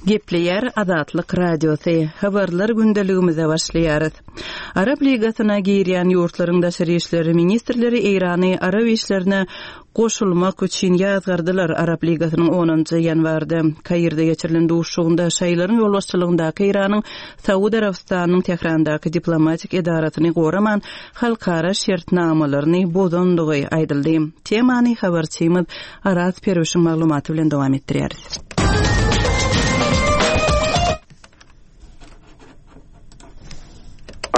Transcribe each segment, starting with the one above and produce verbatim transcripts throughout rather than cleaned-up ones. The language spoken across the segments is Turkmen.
Gepleýär Azatlyk Radiosy. Habarlar gündeligimize başlaýarys. Arap Ligasyna girýän ýurtlaryň daşary işler ministrleri Eýrany arap işlerine goşulmak üçin ýazgardylar. Arap Ligasynyň onunjy ýanwarda Kairde geçirilen duşuşygynda şaýylaryň ýolbaşçylygyndaky Eýranyň Saud Arabystanynyň Tährandaky diplomatik edarasyny goraman halkara şertnamalaryny bozandygy aýdyldy. Temany habarçymyz Araz Perwişiň maglumaty bilen dowam etdirýäris.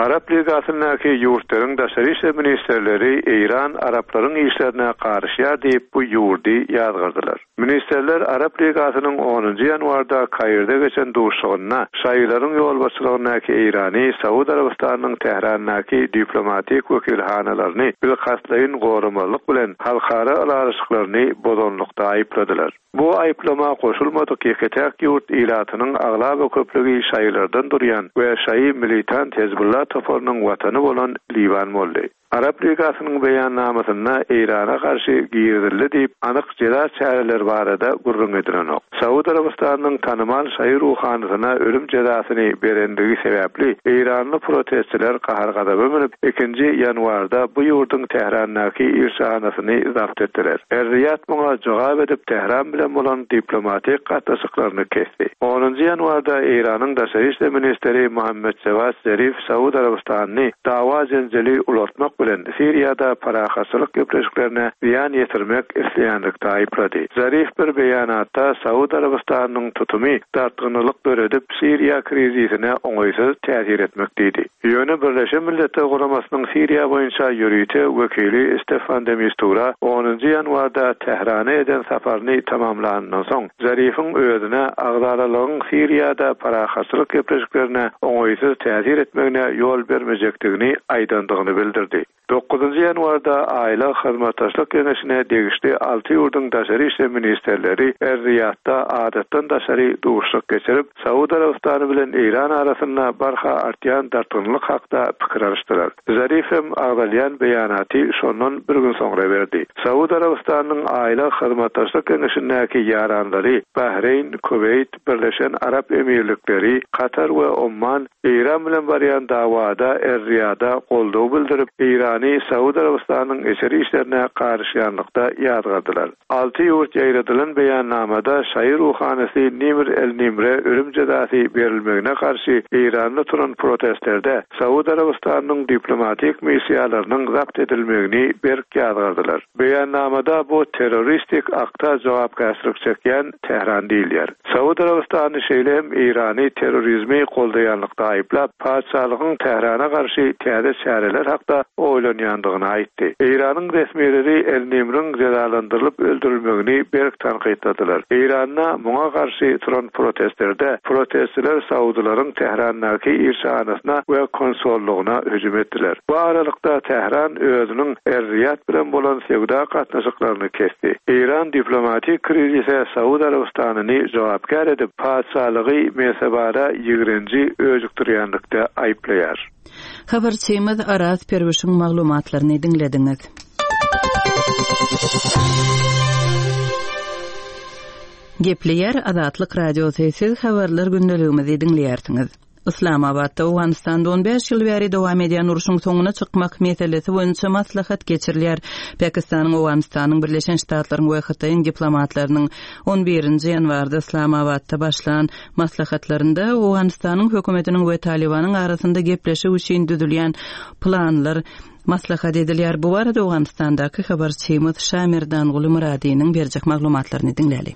Arap Ligasyndaky ýurtlaryň daşary işler ministrleri Eýran Araplaryň işlerine garyşýar diýip bu ýurdy ýazgardylar. Ministrler Arap Ligasynyň onunjy ýanwarda Kairde geçen duşuşygynda şaýylaryň ýolbaşçylygyndaky Eýrany Saud Arabystanynyň Tährandaky diplomatik wekilhanalaryny bilkastlaýyn goramazlyk bilen halkara ylalaşyklaryny bozanlykda aýypladylar. Bu aýyplama goşulmadyk ýeke-täk ýurt ilatynyň aglaba köplügi şaýylardan durýan we şaýy militant Hezbollah toparynyň watany bolan Liwan boldy. Arap Ligasynyň beýannamasynda Eýrana garşy girizildi diýip anyk jeza çäreleri barada gürrüň edilenok. Saud Arabystanynyň tanymal şaýy ruhanysyna ölüm jezasyny berendigi sebäpli Eýranly protestçiler gahar-gazaba münüp ikinji ýanwarda bu ýurduň Tährandaky ilçihanasyny zabt etdiler. Er-Riýad muňa jogap edip Tähran bilen bolan diplomatik gatnaşyklaryny kesdi. Onunjy ýanwarda Eýranyň daşary işler ministri Muhammed Jawad Zarif Saud Arabystanyny dawa jenjeli ulatmak bilen Siriýada parahatçylyk gepleşiklerine zyýan ýetirmek isleýänlikde aýyplady. Zarif bir beýanatda Saud Arabystanynyň tutumy dartgynlyk döredip Siriýa krizisine oňaýsyz täsir etmek diýdi. Ýöne Birleşen Milletler Guramasynyň Siriýa boýunça ýörite wekili Stefan de Mistura onunjy ýanwarda Tährana eden saparyny tamamlandan soň Zarifiň özüne agzalalygyň Siriýada parahatçylyk gepleşiklerine oňaýsyz täsir etmegine ýol bermejekdigini aýdandygyny bildirdi. Dokuzunjy ýanwarda Aýla Hyzmatdaşlyk Geňeşine degişli alty ýurduň daşary işler ministrleri Er-Riýadda adatdan daşary duşuşyk geçirip, Saud Arabystany bilen Eýran arasynda barha artýan dartgynlyk hakda pikir alyşdylar. Zarif hem agzalýan beýanaty şondan bir gün soňra berdi. Saud Arabystanynyň Aýla Hyzmatdaşlyk Geňeşindäki ýaranlary Bahreýn, Kuweýt, Birleşen Arap Emirlikleri, Katar we Omman Eýran bilen barýan dawada Er-Riýada goldaw bildirip, Eýrany Saud Arabystanynyň içeri işlerine garyşýanlykda ýazgardylar. Alty ýurt ýaýradylan beýannamada şaýy ruhanysy Nimr el-Nimre ölüm jezasy berilmegine garşy Eýranda turan protestlerde Saud Arabystanynyň diplomatik missiýalarynyň zabt edilmegini berk ýazgardylar. Beýannamada bu terroristik akta jogapkärçilik çekýän Tähran diýilýär. Saud Arabystany şeýle hem Eýrany terrorizmi goldaýanlykda aýyplap, patyşalygyň Tährana garşy täze çäreler hakda oýlanýandygyny aýtdy. Eýranyň resmileri El-Nimriň jezalandyrylyp öldürilmegini berk tankytladylar. Eýranda muňa garşy turan protestlerde protestçiler Saudylaryň Tährandaky ilçihanasyna we konsollugyna hüjüm etdiler. Bu aralykda Tähran özüniň Er-Riýad bilen bolan söwda gatnaşyklaryny kesdi. Eýran diplomatik krizise Saud Arabystanyny jogapkär edip, patyşalygy mensebara ýigrenji öjükdirýänlikde aýyplaýar. Habarçymyz Araz Perwişiň maglumatlaryny diňlediňiz. Gepleýär Azatlyk Radiosy, siz habarlar gündeligimizi diňleýärsiňiz. Islamabadda Owganystanda on bäş ýyl bäri dowam edýän urşuň soňuna çykmak meselesi boýunça maslahat geçirilýär. Pakistanyň, Owganystanyň, Birleşen Ştatlaryň we Hytaýyň diplomatlarynyň on birinji ýanwarda Islamabadda başlan maslahatlarynda Owganystanyň hökümetiniň we Talibanyň arasynda gepleşik üçin düzülýän planlar maslahat edilýär. Bu barada Owganystandaky habarçymyz Şamirdan Gulu Muradynyň berjek maglumatlaryny diňläli.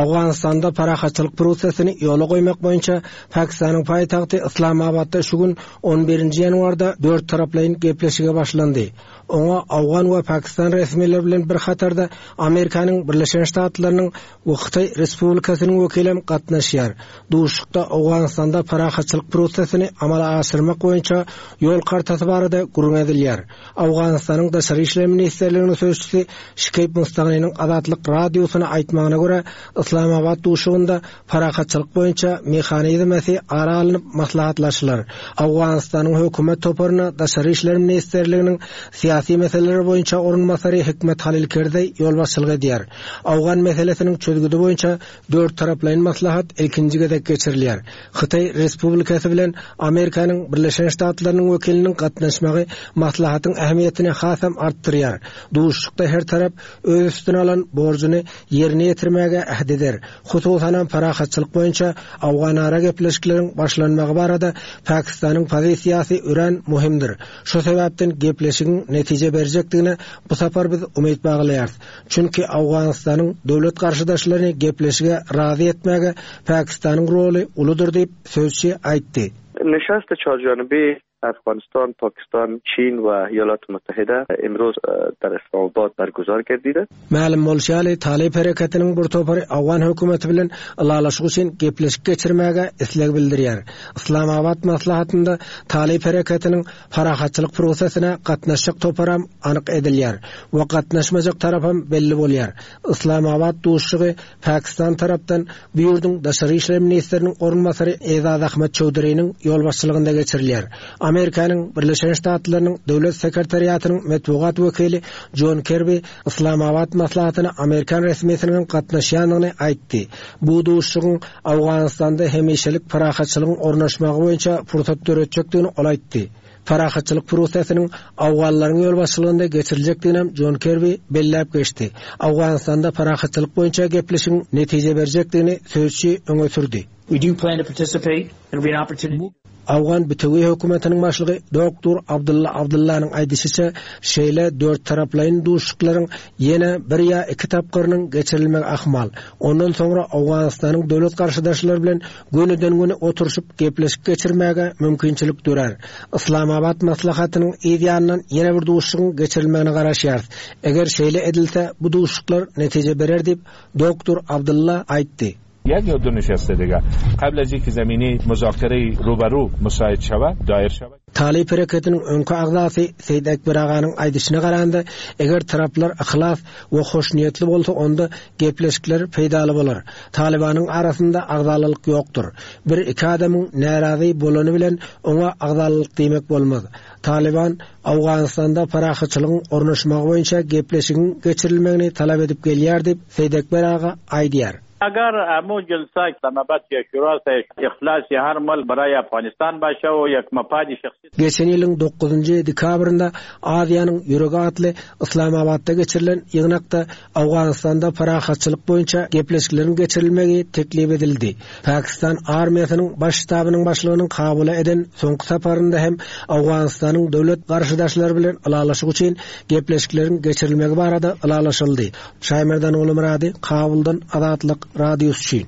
Owganystanda parahatçylyk prosesini ýola goýmak boýunça Pakistanyň paýtagty Islamabadda şu gün on birinji ýanwarda dört taraplaýyn gepleşige başlandy. Oňa Owgan we Pakistan resmileri bilen bir hatarda Amerikanyň Birleşen Ştatlarynyň we Hytaý Respublikasynyň wekili hem gatnaşýar. Duşuşykda Owganystanda parahatçylyk prosesini amala aşyrmak boýunça ýol kartasy barada gürrüň edilýär. Owganystanyň Daşary işler ministrliginiň sözçüsi Şikeýb Mustagynyň Azatlyk radiosyna aýtmagyna görä, Islamabad duşuşygynda parahatçylyk boýunça mehanizmesi ara alnyp maslahatlaşylar. Owganystanyň hökümet toparyna Daşary işler ministrliginiň syýasy syýasy meseleler boýunça orunbasary Hikmet Halil Kerzeý ýolbaşçylyk edýär. Awgan meselesiniň çözgüdi boýunça dört taraplaýyn maslahat ilkinji gezek geçirilýär. Hytaý Respublikasy bilen Amerikanyň Birleşen Ştatlarynyň wekiliniň gatnaşmagy maslahatyň ähmiýetini hasam artdyrýar. Duşuşykda her tarap öz üstüne alan borjuny ýerine ýetirmäge äht eder. Hususanam parahatçylyk boýunça Awganara gepleşikleriň başlanmagy barada Pakistanyň pozisiýasy örän möhümdir. Şu sebäpden gepleşigiň netije berjekdigine bu sapar biz umyt baglaýarys. Çünki Awganystanyň döwlet garşydaşlaryny gepleşige razy etmäge Pakistanyň roly uludyr diýip sözçi aýtdy. نشست چهارجانبه افغانستان، پاکستان، چین و ایالات متحده امروز در اسلام آباد برگزار گردیده. Mälim bolşy ýaly, Talyp hereketiniň bir topary Awgan hökümeti bilen ylalaşyk üçin gepleşik geçirmäge isleg bildirýär. Islamabad maslahatynda Talyp hereketiniň parahatçylyk prosesine gatnaşjak toparam anyk edilýär we gatnaşmajak tarapam belli bolýar. Islamabad duşuşygy Pakistan tarapdan bu ýurduň daşary işler ministriniň orunbasary Ezaz Ahmed Çowduriniň ýolbaşçylygynda geçirilýär. Amerikanyň Birleşen Ştatlarynyň Döwlet Sekretariatynyň metbugat wekili John Kirby Islamabad maslahatyna Amerikan resmisiniň gatnaşýandygyny aýtdy. Bu duşuşygyň Awganystanda hemişelik parahatçylygyň ornaşmagy boýunça pursat döretjekdigini ol aýtdy. Parahatçylyk prosesiniň Awganlaryň ýolbaşçylygynda geçiriljekdigini John Kirby belläp geçdi. Awganystanda parahatçylyk boýunça gepleşigiň netije berjekdigini sözçi öňe sürdi. We do plan to participate. It'll be an opportunity. Awgan bütewi hökümetiniň başlygy Doktor Abdulla Abdullanyň aýdyşyça, şeýle dört taraplaýyn duşuşyklaryň ýene bir ýa iki tapgyrynyň geçirilmegi ahmal. Ondan soňra Awganystanyň döwlet garşydaşlary bilen gönüden-göni oturyşyp gepleşik geçirmäge mümkinçilik dörer. Islamabad maslahatynyň yz ýanyndan ýene bir duşuşygyň geçirilmegine garaşýarys. Eger şeýle edilse, bu duşuşyklar netije berer diýip Doktor Abdulla aýtdy. یک یا دو نشسته دیگه قبل از اینکه زمینه مذاکره روبرو مساعد شود دایر شود. Talyp hereketiniň öňki agzasy Seýit Ekber aganyň aýdyşyna garanda, eger taraplar yhlas we hoşniýetli bolsa, onda gepleşikler peýdaly bolar. Talibanyň arasynda agzalylyk ýokdur. Bir iki adamyň närazy bolany bilen oňa agzalylyk diýmek bolmaz. Taliban Awganystanda parahatçylygyň ornaşmagy boýunça gepleşigiň geçirilmegini talap edip gelýär diýip Seýit Ekber aga aýdýar. اگر امو جلسه اسلام آباد یا شورا اخلاص هر مل برای افغانستان باشه و یک مفاد شخصی. Geçen ýylyň dokuzynjy dekabrynda Aziýanyň ýüregi atly Islamabadda geçirilen ýygnakda Awganystanda parahatçylyk boýunça gepleşikleriň geçirilmegi teklip edildi. Pakistan armiýasynyň baş ştabynyň başlygynyň Kabula eden soňky saparynda hem Awganystanyň döwlet garşydaşlary bilen ylalaşyk üçin gepleşikleriň geçirilmegi barada ylalaşyldy. Şaýmerdan Ulumyrady, Kabuldan Azatlyk Radiosy üçin.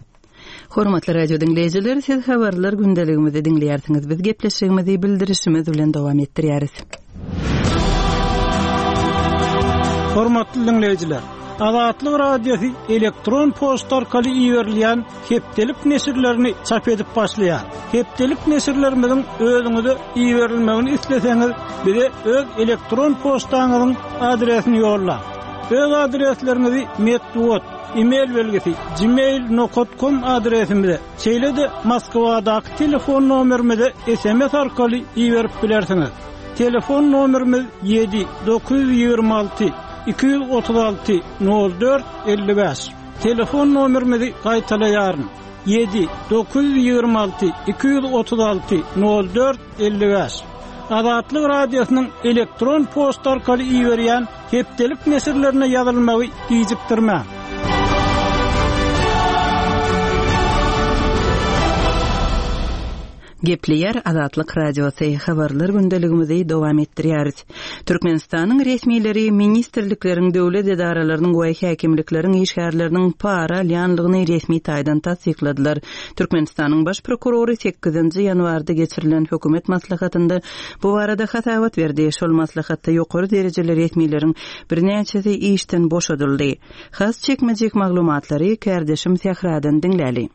Hormatly radio diňleýjiler, siz habarlar gündeligimizi diňleýärsiňiz. Biz gepleşigimizi bildirişimiz bilen dowam etdirýäris. Hormatly diňleýjiler, Azatlyk Radiosy elektron poçta arkaly iberilýän hepdelik neşirlerini çap edip başlaýar. Hepdelik neşirlerimiziň özüňize iberilmegini isleseňiz, bize öz elektron poçtaňyzyň adresini ýollaň. Öz adresleriňizi metbugat, e-mail belgisi gmail nokta com adresimize, şeýle-de Moskwadaky telefon nomerimize S M S arkaly iberip bilersiňiz. Telefon nomerimiz ýedi dokuz ýüz ýigrimi alty iki ýüz otuz alty nol dört elli bäş. Telefon nomerimizi gaýtalaýaryn. Ýedi dokuz ýüz ýigrimi alty iki ýüz otuz alty nol dört elli bäş. Azatlyk Radiosynyň elektron poçta arkaly iberýän hepdelik neşirlerine ýazylmagy gijikdirmäň. Gepleýär Azatlyk Radiosy habarlar gündeligimizi dowam etdirýäris. Türkmenistanyň resmileri ministrlikleriň döwlet edaralarynyň we häkimlikleriň işgärleriniň para alýanlygyny resmi taýdan tassykladylar. Türkmenistanyň baş prokurory sekizinji ýanwarda geçirilen hökümet maslahatynda bu barada hasabat berdi. Şol maslahatda ýokary derejeli resmileriň birnäçesi işden boşadyldy. Has çekmejek maglumatlary kardeşim Sähradan diňläli.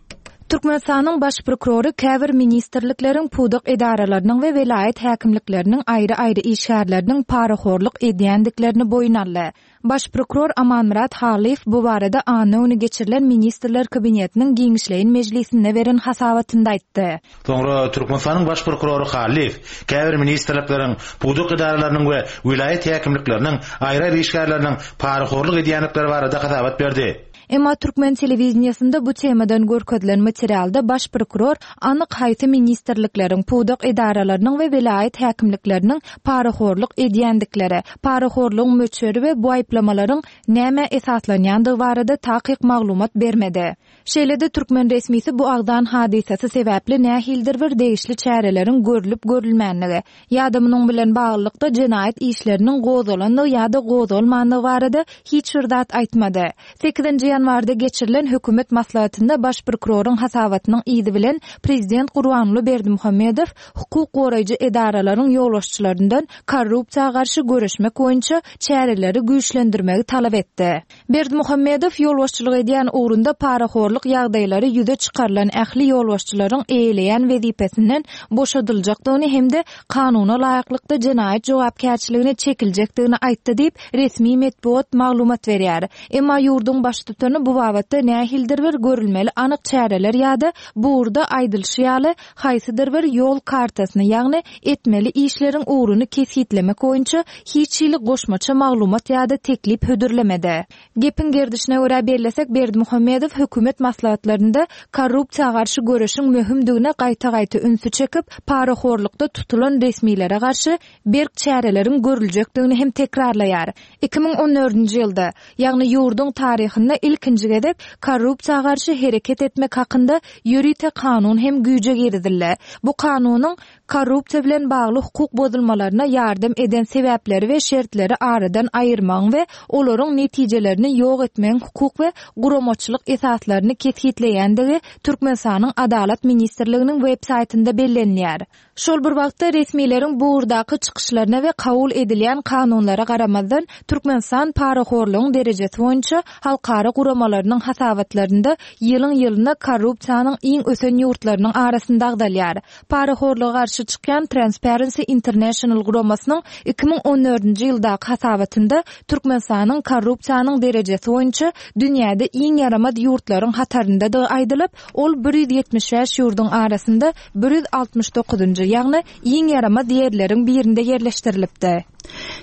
Türkmenistanyň Baş prokurory käbir ministrlikleriň, pudak edaralarynyň we welaýat häkimlikleriniň aýry-aýry işgärleriniň parahorluk edýändiklerini boýun aldy. Baş prokuror Amanmyrat Halyýew bu barada anna güni geçirilen Ministrler Kabinetiniň giňişleýin mejlisinde beren hasabatynda aýtdy. Soňra Türkmenistanyň Baş prokurory Hallyýew käbir ministrlikleriň, pudak edaralarynyň we welaýat häkimlikleriniň aýry-aýry işgärleriniň parahorluk edýändikleri barada hasabat berdi. Emma türkmen telewideniýesinde bu temadan görkezilen materialda baş prokuror anyk haýsy ministrlikleriň, pudak edaralarynyň we welaýat häkimlikleriniň parahorluk edýändikleri, parahorlugyň möçberi we bu aýyplamalaryň nämä esaslanýandygy barada takyk maglumat bermedi. Şeýle-de türkmen resmisi bu agzan hadysasy sebäpli nähilidir bir degişli çäreleriň görlüp-görülmänligi, ýa-da munuň bilen baglylykda jenaýat işleriniň gozgalandygy ýa-da gozgalmandygy barada hiç bir zat aýtmady. Sekizinji ýanwarda geçirilen hökümet maslahatynda baş prokuroryň hasabatynyň yzy bilen prezident Gurbanguly Berdimuhamedow hukuk goraýjy edaralaryň ýolbaşçylaryndan korrupsiýa garşy göreşmek boýunça çäreleri güýçlendirmegi talap etdi. Berdimuhamedow ýolbaşçylyk edýän ugrunda parahorluk ýagdaýlary ýüze çykarylan ähli ýolbaşçylaryň eýeleýän wezipesinden boşadyljakdygyny hem-de kanuna laýyklykda jenaýat jogapkärçiligine çekiljekdigini aýtdy diýip, resmi metbugat maglumat berýär. Emma ýurduň baştutany bu babatda nähilidir bir görülmeli anyk çäreler ýa-da bu ugurda aýdylyşy ýaly haýsydyr bir ýol kartasyny, ýagny etmeli işleriň ugruny kesgitlemek boýunça hiç hili goşmaça maglumat ýa-da teklip hödürlemedi. Gepiň gerdişine görä bellesek, Berdimuhamedow hökümet maslahatlarynda korrupsiýa garşy göreşiň möhümdigine gaýta-gaýta ünsi çekip, parahorlukda tutulan resmilere garşy berk çäreleriň görüljekdigini hem tekrarlaýar. Iki müň on dördünji ýylda, ýagny ýurduň taryhynda ilkinji gezek korrupsiýa garşy hereket etmek hakynda ýörite kanun hem güýje girizildi. Bu kanunyň korrupsiýa bilen bagly hukuk bozulmalaryna ýardam eden sebäpleri we şertleri aradan aýyrmagyň we olaryň netijelerini ýok etmegiň hukuk we guramaçylyk esaslaryny kesgitleýändigi Türkmenistanyň Adalat ministrliginiň web saýtynda bellenilýär. Şol bir wagtda resmileriň bu ugurdaky çykyşlaryna we kabul edilýän kanunlara garamazdan Türkmenistan parahorlugyň derejesi boýunça halkara guramalarynyň hasabatlarynda ýylyň-ýylyna korrupsiýanyň iň ösen ýurtlarynyň arasynda agzalýar. Parahorluga garşy çykýan Transparency International guramasynyň iki müň on dördünji ýyldaky hasabatynda Türkmenistanyň korrupsiýanyň derejesi boýunça dünýäde iň ýaramaz ýurtlaryň hataryndadygy aýdylyp, ol bir ýüz ýetmiş bäş ýurduň arasynda bir ýüz altmyş dokuzynjy, ýagny iň ýaramaz ýerleriň birinde ýerleşdirilipdi.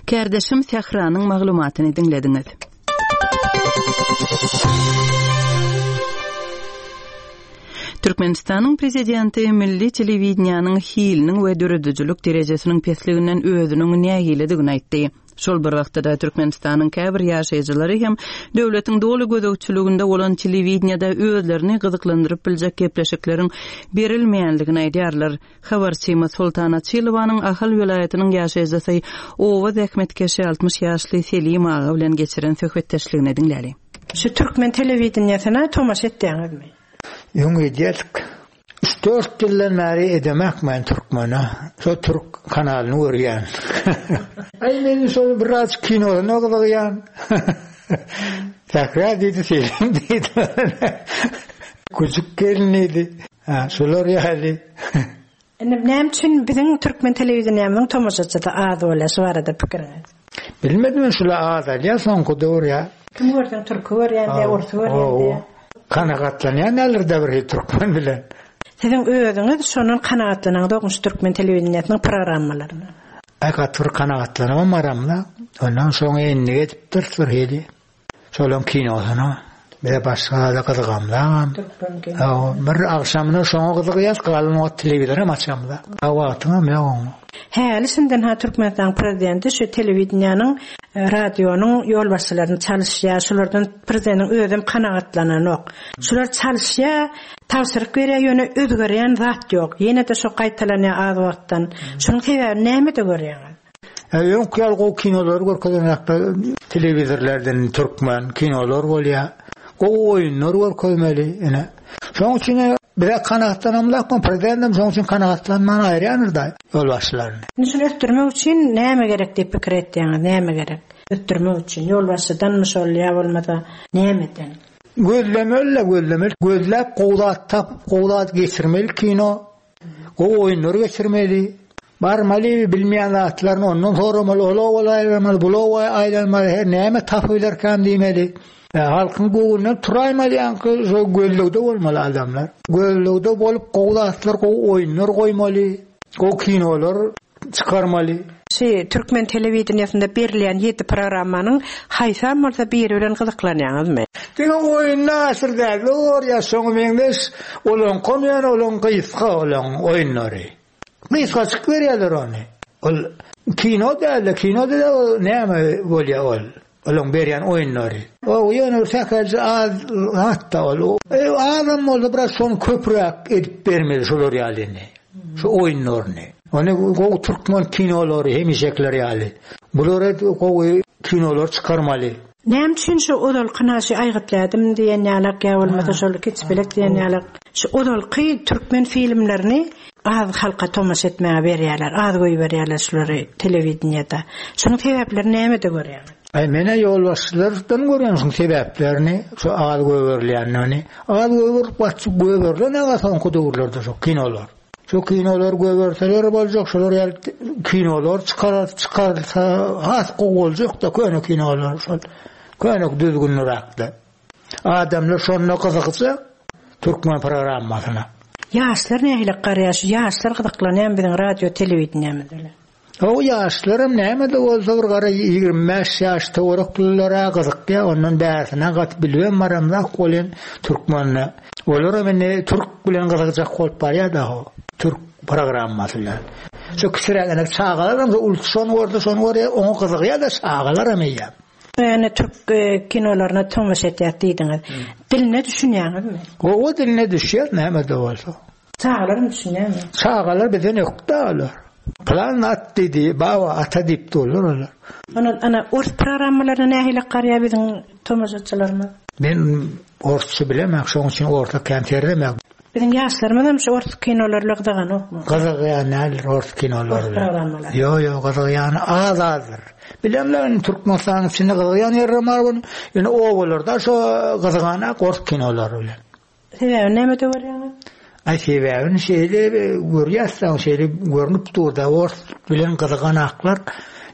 Kärdeşim Sähranyň maglumatyny diňlediňiz. Türkmenistanyň prezidenti milli telewideniýanyň hiliniň we döredijilik derejesiniň pesliginden özüniň nägiledigini aýtdy. Şol bir wagtda Türkmenistanyň käbir ýaşaýjylary hem döwletiň doly gözegçiliginde bolan telewideniýada özlerini gyzyklandyryp biljek gepleşikleriň berilmeýänligini aýdýarlar. Habarçymyz Sultan Açylowanyň Ahal welaýatynyň ýaşaýjysy Owa zähmetkeşi altmyş ýaşly Selim aga bilen geçiren söhbetdeşligini diňläli. Şu türkmen telewideniýesine tomaşa etýäňizmi? Öň edýärdik. Üç dört ýyldan bäri edemek men türkmene. Şo türk kanalyny görýän. Aý men şol biraz kinosyna gyzygýan. Sähra diýdi, Selim diýdi. Küçük gelin diýdi. Ha, şolar ýaly. Indi näme üçin biziň türkmen telewideniýamyzyň tomaşaçysy az bolýar, şu barada pikiriňiz? Bilmedim men şular az alýar, soňky döwür ýa. Kim görseň türki görýän diýä, orsy görýän diýä. Kanagatlanýan näler-de bir türkmen bilen. Siziň özüňiz şondan kanagatlanaňyz şu türkmen telewideniýesiniň programmalaryna. Aý gaty bir kanagatlanamam aramda. Ondan soň endik edipdir bir hili. Şolaň kinosyna bize başga da gyzygamdagam. Bir agşamyna şoňa gyzygýas, galan wagt telewizoram açamda. A wagtyňam ýok oňa. Häli şimdiden ha Türkmenistanyň prezidenti şu telewideniýanyň, radionyň ýolbaşçylaryny çalyşýar, şulardan prezidentiň özem kanagatlananok. Şular çalyşýar, tabşyryk berýär, ýöne özgerýän zat ýok. Ýene-de şo gaýtalanýar az wagtdan. Şunuň sebäbini nämede görýäňiz? E, öňki ýaly gowy kinolary görkezenakda telewizorlardan türkmen kinolar bolýar. Gowy oýunlar görkezmeli ene. Şonuň üçin bize kanagatlanamlak, prezidentim şonuň üçin kanagatlanman aýyrýandyr da ýolbaşçylaryny. Indi şuny ösdürmek üçin näme gerek diýip pikir etýäňiz, näme gerek? Ösdürmek üçin ýolbaşçydanmy şol ýa bolmasa nämeden? Gözlemeli, gözlemeli. Gözläp gowy zat tapyp, gowy zat geçirmeli kino. Gowy oýunlary geçirmeli. Barmaly bilmeýän zatlaryny ondan soramaly, ol owa aýlanmaly, bul owa aýlanmaly, her näme tapybilerkäm diýmeli. E, halkyň göwnünden turaýmaly ýaňky şo gözlegde bolmaly adamlar. Gözlegde bolup gowy zatlar, gowy oýunlar goýmaly, gowy kinolar çykarmaly. Şu türkmen telewideniýesinde berilýän ýedi programmanyň haýsam bolsa biri bilen gyzyklanýaňyzmy? Diňe oýunda aşyr däl, ýa şoňa meňzeş olaň ýöne olaň gysga olaň oýunlary. Gysgaçyk berýärler ony. Ol kino däl, kino däl, ol näme bolýar ol? Olaň berýän oýunlary. O ýöne sähelçe az hatda ol. E, azam bolsa biraz şony köpräk edip bermeli şolar ýalyny. Şu oýunlaryny. Ony gowy türkmen kinolary hemişekler ýaly. Bulara gowy kinolar çykarmaly. Näme üçin şu ozalky naşy aýgytladym diýen ýalak ýa bolmasa şol kiçbilek diýen ýalak. Şu ozalky türkmen filmlerini az halka tomaşa etmäge berýärler, az goýberýärler şulary telewideniýede. Şunuň sebäpleri nämede görýäňiz? Ay mene ýolbaşçylardan görýän şuň sebäplerini, şu az goýberilýänini. Az goýberip gaçyp goýberilen aga soňky döwürlerde şu kinolar. Şu kinolar goýberseler boljak, şolar ýaly kinolar çykarar, çykarsa has gowy boljak da köne kinolar şol. Köne düzgünliräkde. Adamlar şonda gyzykça türkmen programmasyna. Ýaşlar nähili garýar? Şu ýaşlar gyzyklanýan biziň radio telewideniýemiz bilen. O ýaşlarym näme de bolsa bir gara ýigrimi bäş ýaş töwereklilara gyzykýar, ondan bärsine gaty bilmem baramzak bolýan türkmenle. Olara indi türk bilen gyzykjak bolup barýar da o türk programmasy bilen. Şu kiçiräk çagalaram ul şony görse şony görýär, oňa gyzykýar da çagalaram eýýäm. Ýöne türk e, kinolaryna tomaşa etýär diýdiňiz. Diline düşünýäňizmi? Gowy diline düşýär näme de bolsa. Çagalaram düşünýärmi? Çagalar bizden ökde olar. Plan at diýdi, baba ata diýip durlar olar. Ona ana ors programmalaryna nähili garýar biziň tomaşaçylarymyz? Men orsça bilemem, şonuň üçin orta kän serdemem. Biziň ýaşlarymyz hem şu ors kinolarla gyzyganokmy? Gyzykýan näler ors kinolary Ors bilen. programmalary. Ýo, ýo, gyzykýan az azdyr. Bilemler Türkmenistanyň içinde gyzykýan ýerler bar bunu. Ýöne obalarda şo gyzyganak ors kinolary bilen. Sebäbi nämede görýäňiz? Ay sebäbini şeýle görýärsen, şeýle görünip dur da ors bilen gyzyganaklar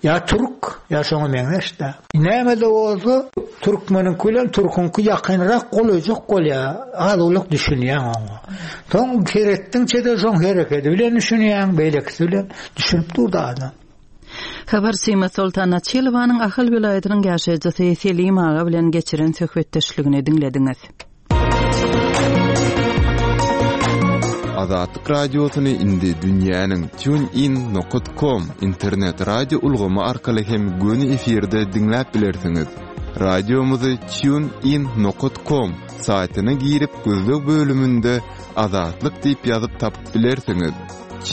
ýa türk ýa şoňa meňzeş da. Näme de bolsa türkmeniň bilen türküňki ýakynrak golaýjak bolýar. Az ulak düşünýän oňa. Soň seretdiňçe de şoň hereketi bilen düşünýän, beýlekisi bilen düşünip dur da adam. Habarçymyz Soltan Açylowanyň Ahal welaýatynyň ýaşaýjysy Selim aga bilen geçiren söhbetdeşligini diňlediňiz. Azatlyk radiosyny indi dünýäniň tunein nokta com internet radio ulgamy arkaly hem göni efirde diňläp bilersiňiz. Radiomyzy tunein nokta com saýtyna girip gözleg bölüminde Azatlyk diýip ýazyp tapyp bilersiňiz.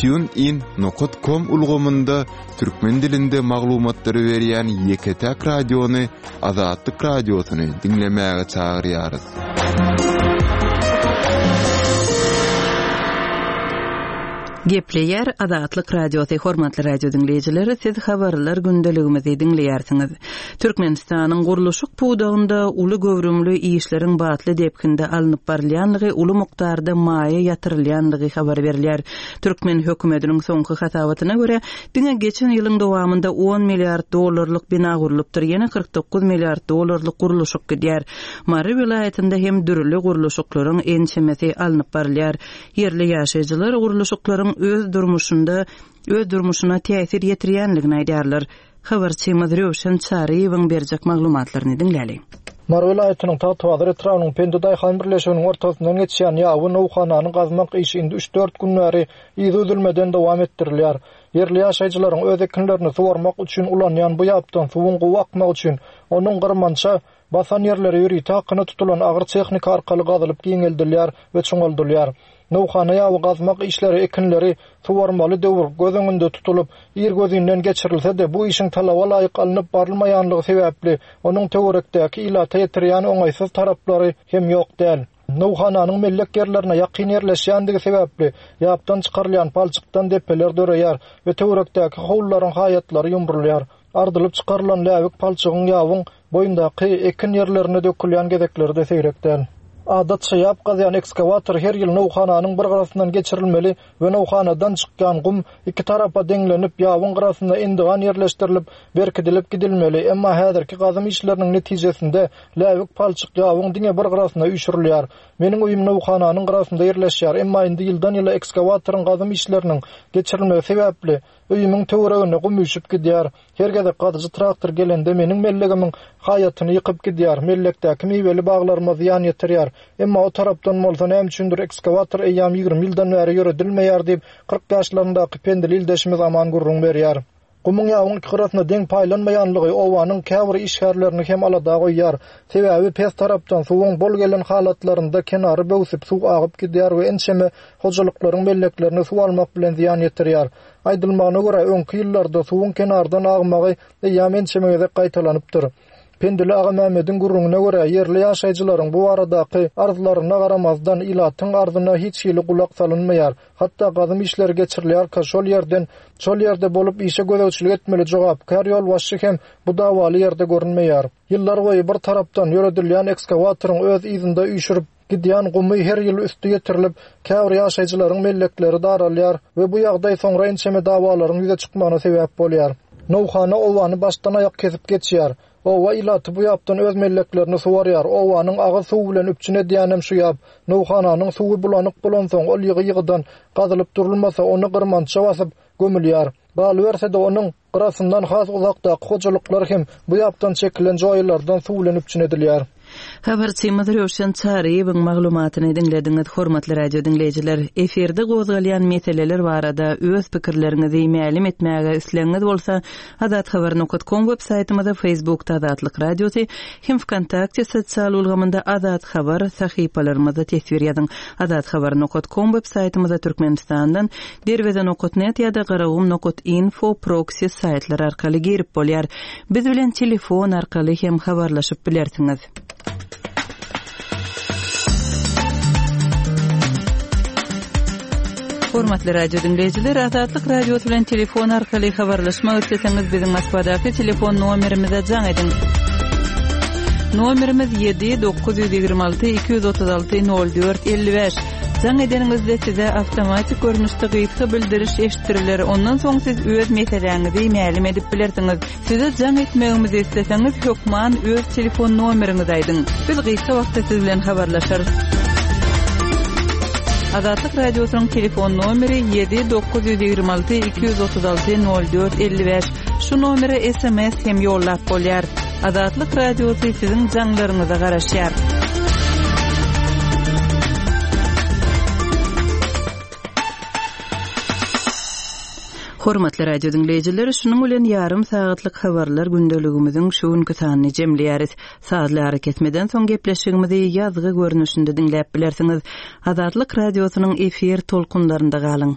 tunein nokta com ulgamynda türkmen dilinde maglumatlary berýän ýeke-täk radiony Azatlyk radiosyny diňlemäge çagyrýarys. Gepleýär Azatlyk Radiosy hormatly radio diňleýjileri, siz habarlar gündeligimizi diňleýärsiňiz. Türkmenistanyň gurluşyk pudagynda uly göwrümli işleriň batly depginde alnyp barylýanlygy, uly mukdarda maýa ýatyrylýanlygy habar berilýär. Türkmen hökümetiniň soňky hasabatyna görä, diňe geçen ýylyň dowamynda on milliard dollarlyk bina gurlupdyr, ýene kyrk dokuz milliard dollarlyk gurluşyk gidýär. Mary welaýatynda hem dürli gurluşyklaryň ençemesi alnyp barylýar. Ýerli ýaşaýjylar gurluşyklaryň öz durmuşynda, öz durmuşyna täsir ýetirýänligini aýdýarlar. Habarçymyz Röwşen Çaryýewiň berjek maglumatlaryny diňläli. Mary welaýatynyň Tagtabazar etrabynyň Pendi Daýhan birleşiginiň ortasyndan geçýän ýawy nowhananyň gazmak işi indi üç dört gün bäri yzy üzülmeden dowam etdirilýär. Ýerli ýaşaýjylaryň öz ekinlerini suwarmak üçin ulanýan bu ýapdan suwuň gowy akmagy üçin onuň gyrmança basan ýerleri ýörite hakyna tutulan agyr tehnika arkaly gazylyp giňeldilýär we çuňaldylýar. Nowhana ýawy gazmak işleri ekinleri suwarmaly döwür göz öňünde tutulyp, ir gözünden geçirilse-de bu işiň talaba laýyk alnyp barylmaýanlygy sebäpli onuň töwerekdäki ilata ýetirýän oňaýsyz taraplary hem ýok däl. Nowhananyň mellek ýerlerine ýakyn ýerleşýändigi sebäpli ýapdan çykarylýan palçykdan depeler döreýär we töwerekdäki howlularyň haýatlary ýumrulýar. Ardylyp çykarylan läbik palçygyň ýawyň boýundaky ekin ýerlerine dökülýän gezekleri-de seýrek däl. Adatça ýap gazýan ekskawator her ýyl nowhananyň bir gyrasyndan geçirilmeli we nowhanadan çykýan gum iki tarapa deňlenip, ýabyň gyrasynda endigan ýerleşdirilip, berkidilip gidilmeli. Emma häzirki gazym işleriniň netijesinde läbik palçyk ýabyň diňe bir gyrasyna üýşürilýär. Meniň öýüm nowhananyň gyrasynda ýerleşýär, emma indi ýyldan-ýyla ekskawatoryň gazym işleriniň geçirilmegi sebäpli öýümiň töweregine gum üýşüp gidýär. Her gezek gazyjy traktor gelende meniň mellegimiň haýatyny ýykyp gidýär. Mellekdäki miweli baglaryma zyýan ýetirýär. Emma o tarapdan bolsa näme üçindir ekskawator eýýäm ýigrimi ýyldan bäri ýöredilmeýär diýip, kyrk ýaşlaryndaky pendili ildeşimiz Aman gürrüň berýär. Gumuň ýabyň iki gyrasyna deň paýlanmaýanlygy obanyň käbir işgärlerini hem alada goýýar. Sebäbi pes tarapdan suwuň bol gelen halatlarynda kenary böwsüp suw agyp gidýär we ençeme hojalyklaryň melleklerine suw almak bilen zyýan ýetirýär. Aýdylmagyna görä, öňki ýyllarda suwuň kenardan agmagy eýýäm ençeme gezek gaýtalanypdyr. Pendili Agammämmediň gürrüňine görä, ýerli ýaşaýjylaryň bu baradaky arzlaryna garamazdan ilatyň arzyna hiç hili gulak salynmaýar. Hatda gazym işleri geçirilýärkä şol ýerden, şol ýerde bolup işe gözegçilik etmeli jogapkär ýolbaşçy hem bu dawaly ýerde görünmeýär. Ýyllar boýy bir tarapdan ýöredilýän ekskawatoryň öz yzynda üýşürip gidýän gumy her ýyl üsti ýetirilip, käbir ýaşaýjylaryň mellekleri daralýar we bu ýagdaý soňra ençeme dawalaryň ýüze çykmagyna sebäp bolýar. Nowhana owany başdan aýak kesip geçýär. Owa ilaty bu ýapdan öz melleklerini suwarýar. Owanyň agyz suwy bilen üpjün edýänem şu ýap. Nowhananyň suwy bulanyk bolansoň ol ýygy-ýygydan gazylyp durulmasa ony gyrmança basyp gömülýär. Galyberse-de onuň gyrasyndan has uzakdaky hojalyklar hem bu ýapdan çekilen joýalardan suw bilen üpjün edilýär. Habarçymyz Röwşen Çaryýewiň maglumatyny diňlediňiz, hormatly radio diňleýjiler. Efirde gozgalýan meseleler barada öz pikirleriňizi mälim etmäge islegiňiz bolsa, azathabar nokta com web saýtymyzda, Facebookda Azatlyk Radiosy hem VKontakte sosial ulgamynda Azat Habar sahypalarymyzda teswir ýazyň. Azathabar nokta com web saýtymyzda Türkmenistandan derweze nokta net ýa-da garagum nokta info proxy saýtlar arkaly girip bolýar. Biz bilen telefon arkaly hem habarlaşyp bilersiňiz. Hormatly radio dinleýjiler, Azatlyk Radiosy bilen telefon arkaly habarlaşmak isleseňiz biziň Moskwadaky telefon nomerimize jaň ediň. Nomerimiz ýedi dokuz ýüz ýigrimi alty iki ýüz otuz alty nol dört elli bäş. Jaň edeniňizde size awtomatik görnüşde gysga bildiriş eşitdiriler. Ondan soň siz öz meseläňizi mälim edip bilersiňiz. Size jaň etmegimizi isleseňiz hökman öz telefon nomeriňizi aýdyň. Biz gysga wagtda siz bilen habarlaşarys. Azatlyk Radiosynyň telefon nomeri ýedi dokuz ýüz ýigrimi alty iki ýüz otuz alty nol dört elli bäş. Şu nomere S M S hem ýollap bolýar. Azatlyk Radiosy siziň jaňlaryňyza garaşýar. Hormatly radio dinleýjiler, şunuň bilen ýarym sagatlyk habarlar gündeligimiziň şu günki sanyny jemleýäris. Sazly arakesmeden soň gepleşigimizi ýazgy görnüşinde diňläp bilersiňiz. Azatlyk Radiosynyň efir tolkunlarynda galyň.